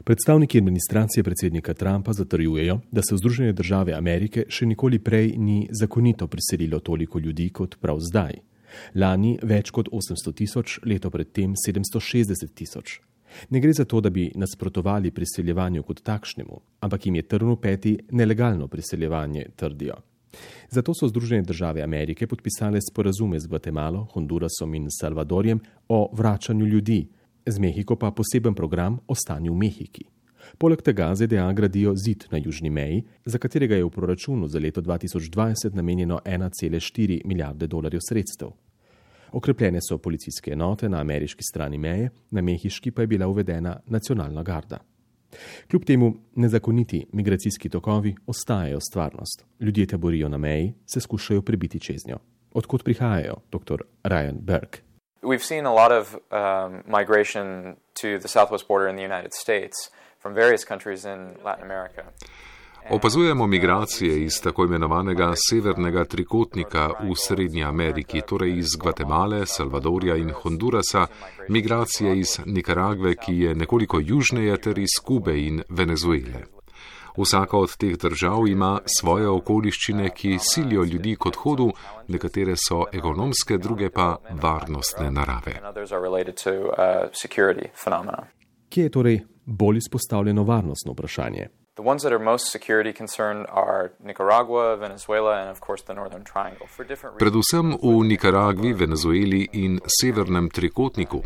Predstavniki administracije predsednika Trumpa zatrjujejo, da se v Združene države Amerike še nikoli prej ni zakonito priselilo toliko ljudi kot prav zdaj. Lani več kot 800 tisoč, leto predtem 760 tisoč. Ne gre za to, da bi nasprotovali priseljevanju kot takšnemu, ampak jim je trn v peti nelegalno priseljevanje, trdijo. Zato so Združene države Amerike podpisale sporazume z Gvatemalo, Hondurasom in Salvadorjem o vračanju ljudi, z Mehiko pa poseben program o stanju v Mehiki. Poleg tega ZDA gradijo zid na južni meji, za katerega je v proračunu za leto 2020 namenjeno 1,4 milijarde dolarjev sredstev. Okrepljene so policijske enote na ameriški strani meje, na mehiški pa je bila uvedena nacionalna garda. Kljub temu nezakoniti migracijski tokovi ostajajo stvarnost. Ljudje taborijo na meji, se skušajo prebiti čez njo. Odkot prihajajo, dr. Ryan Burke? We've seen a lot of migration to the southwest border in the United States from various countries in Latin America. Opazujemo migracije iz tako imenovanega severnega trikotnika v Srednji Ameriki, torej iz Gvatemale, Salvadorja in Hondurasa, migracije iz Nikaragve, ki je nekoliko južneje, ter iz Kube in Venezuele. Vsaka od teh držav ima svoje okoliščine, ki silijo ljudi k odhodu, nekatere so ekonomske, druge pa varnostne narave. Kje je torej bolj izpostavljeno varnostno vprašanje? The ones that are most security concerned are Nicaragua, Venezuela and of course the Northern Triangle. Predvsem v Nikaragvi, Venezueli in severnem trikotniku.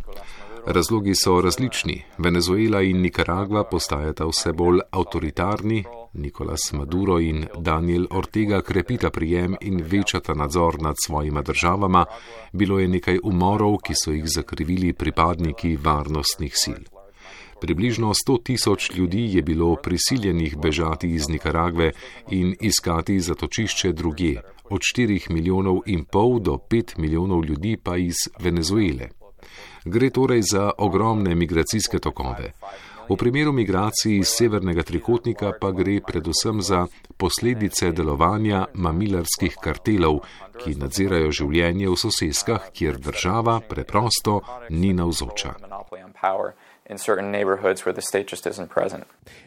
Razlogi so različni. Venezuela in Nikaragva postajata vse bolj avtoritarni, Nicolás Maduro in Daniel Ortega krepita prijem in večata nadzor nad svojima državama. Bilo je nekaj umorov, ki so jih zakrivili pripadniki varnostnih sil. Približno 100 tisoč ljudi je bilo prisiljenih bežati iz Nikaragve in iskati zatočišče drugje, od 4,5 milijonov do 5 milijonov ljudi pa iz Venezuele. Gre torej za ogromne migracijske tokove. V primeru migracij iz severnega trikotnika pa gre predvsem za posledice delovanja mamilarskih kartelov, ki nadzirajo življenje v soseskah, kjer država preprosto ni navzoča.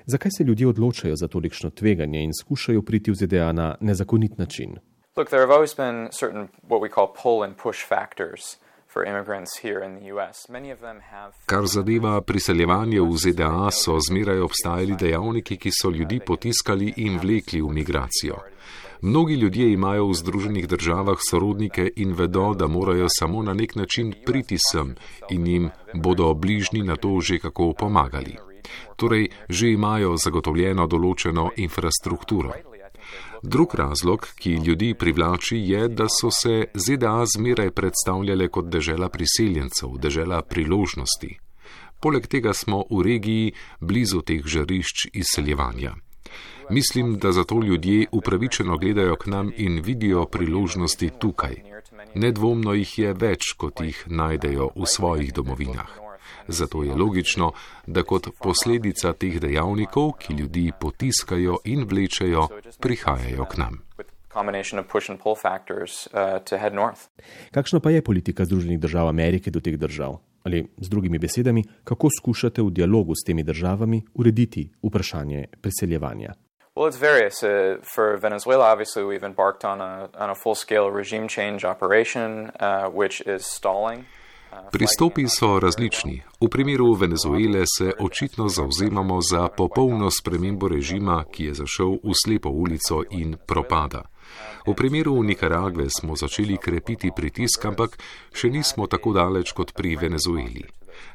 Zakaj se ljudje odločajo za tolikšno tveganje in skušajo priti v ZDA na nezakonit način? Look, there have always been certain what we call pull and push factors for immigrants here in the US. Many of them have. Kar zadeva priseljevanje v ZDA, so zmeraj obstajali dejavniki, ki so ljudi potiskali in vlekli v migracijo. Mnogi ljudje imajo v Združenih državah sorodnike in vedo, da morajo samo na nek način priti sem in jim bodo bližnji na to že kako pomagali. Torej, že imajo zagotovljeno določeno infrastrukturo. Drug razlog, ki ljudi privlači, je, da so se ZDA zmeraj predstavljale kot dežela priseljencev, dežela priložnosti. Poleg tega smo v regiji blizu teh žarišč izseljevanja. Mislim, da zato ljudje upravičeno gledajo k nam in vidijo priložnosti tukaj. Nedvomno jih je več, kot jih najdejo v svojih domovinah. Zato je logično, da kot posledica teh dejavnikov, ki ljudi potiskajo in vlečejo, prihajajo k nam. Kakšna pa je politika Združenih držav Amerike do teh držav? Ali z drugimi besedami, kako skušate v dialogu s temi državami urediti vprašanje priseljevanja? Well, it's various. For Venezuela, obviously, we've embarked on a full-scale regime change operation, which is stalling. Pristopi so različni. V primeru Venezuele se očitno zavzemamo za popolno spremembo režima, ki je zašel v slepo ulico in propada. V primeru Nikaragve smo začeli krepiti pritisk, ampak še nismo tako daleč kot pri Venezueli.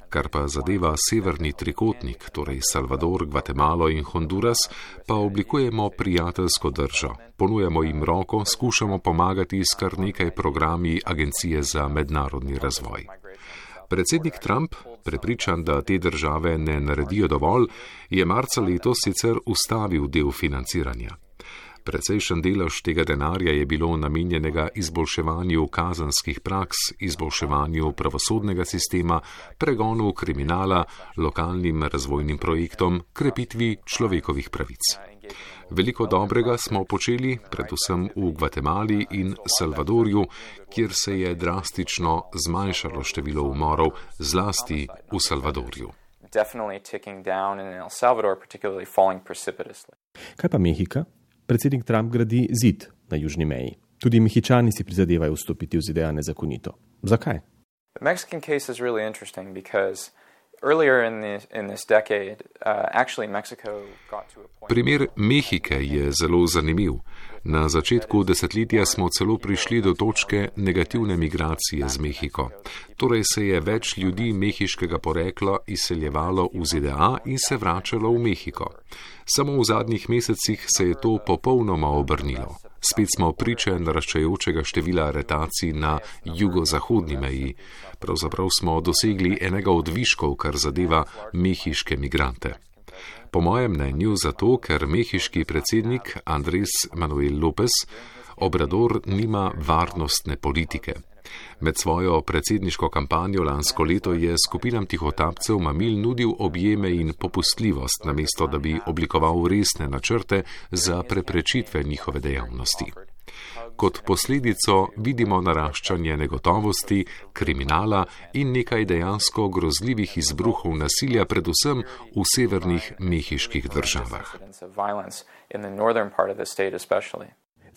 Kar pa zadeva severni trikotnik, torej Salvador, Gvatemalo in Honduras, pa oblikujemo prijateljsko držo. Ponujamo jim roko, skušamo pomagati s kar nekaj programi Agencije za mednarodni razvoj. Predsednik Trump, prepričan, da te države ne naredijo dovolj, je marca letos sicer ustavil del financiranja. Precejšen delež tega denarja je bilo namenjenega izboljševanju kazenskih praks, izboljševanju pravosodnega sistema, pregonu kriminala, lokalnim razvojnim projektom, krepitvi človekovih pravic. Veliko dobrega smo počeli, predvsem v Gvatemali in Salvadorju, kjer se je drastično zmanjšalo število umorov, zlasti v Salvadorju. definitely ticking down in El Salvador, particularly falling precipitously. Kaj pa Mehika? Predsednik Trump gradi zid na južni meji. Tudi Mehičani si prizadevajo vstopiti v ZDA nezakonito. Zakaj? The Mexican case is really interesting because earlier in this decade, actually Mexico got to a point. Primer Mehike je zelo zanimiv. Na začetku desetletja smo celo prišli do točke negativne migracije z Mehiko. Torej se je več ljudi mehiškega porekla izseljevalo v ZDA in se vračalo v Mehiko. Samo v zadnjih mesecih se je to popolnoma obrnilo. Spet smo priče naraščajočega števila aretacij na jugozahodni meji. Pravzaprav smo dosegli enega od viškov, kar zadeva mehiške migrante. Po mojem mnenju zato, ker mehiški predsednik Andrés Manuel López Obrador nima varnostne politike. Med svojo predsedniško kampanjo lansko leto je skupinam tihotapcev mamil nudil objeme in popustljivost, namesto da bi oblikoval resne načrte za preprečitve njihove dejavnosti. Kot posledico vidimo naraščanje negotovosti, kriminala in nekaj dejansko grozljivih izbruhov nasilja, predvsem v severnih mehiških državah.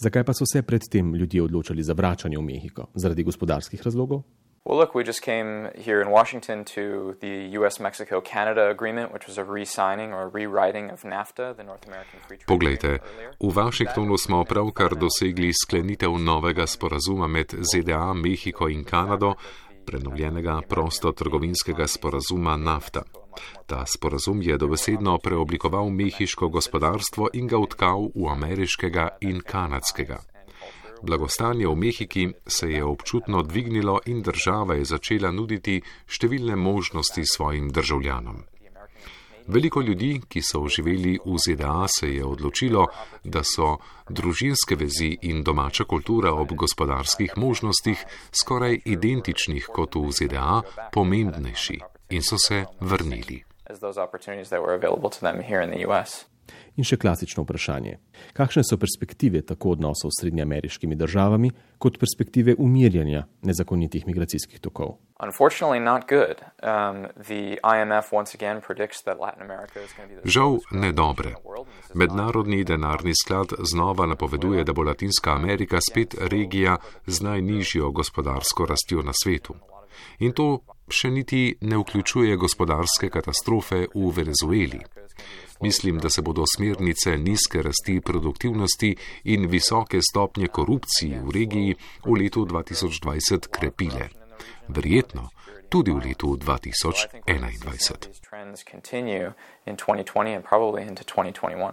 Zakaj pa so se predtem ljudje odločali za vračanje v Mehiko? Zaradi gospodarskih razlogov? Well, look, we just came here in Washington to the US-Mexico-Canada agreement, which was a re-signing or rewriting of NAFTA, the North American Free Trade Agreement. Poglejte, v Washingtonu smo pravkar dosegli sklenitev novega sporazuma med ZDA, Mehiko in Kanado, prenovljenega prostotrgovinskega sporazuma NAFTA. Ta sporazum je dobesedno preoblikoval mehiško gospodarstvo in ga vtkal v ameriškega in kanadskega. Blagostanje v Mehiki se je občutno dvignilo in država je začela nuditi številne možnosti svojim državljanom. Veliko ljudi, ki so živeli v ZDA, se je odločilo, da so družinske vezi in domača kultura ob gospodarskih možnostih skoraj identičnih kot v ZDA pomembnejši in so se vrnili. In še klasično vprašanje. Kakšne so perspektive tako odnosov s srednjeameriškimi državami, kot perspektive umirjanja nezakonitih migracijskih tokov? Žal ne dobre. Mednarodni denarni sklad znova napoveduje, da bo Latinska Amerika spet regija z najnižjo gospodarsko rastjo na svetu. In to še niti ne vključuje gospodarske katastrofe v Venezueli. Mislim, da se bodo smernice nizke rasti produktivnosti in visoke stopnje korupcije v regiji v letu 2020 krepile. Verjetno tudi v letu 2021.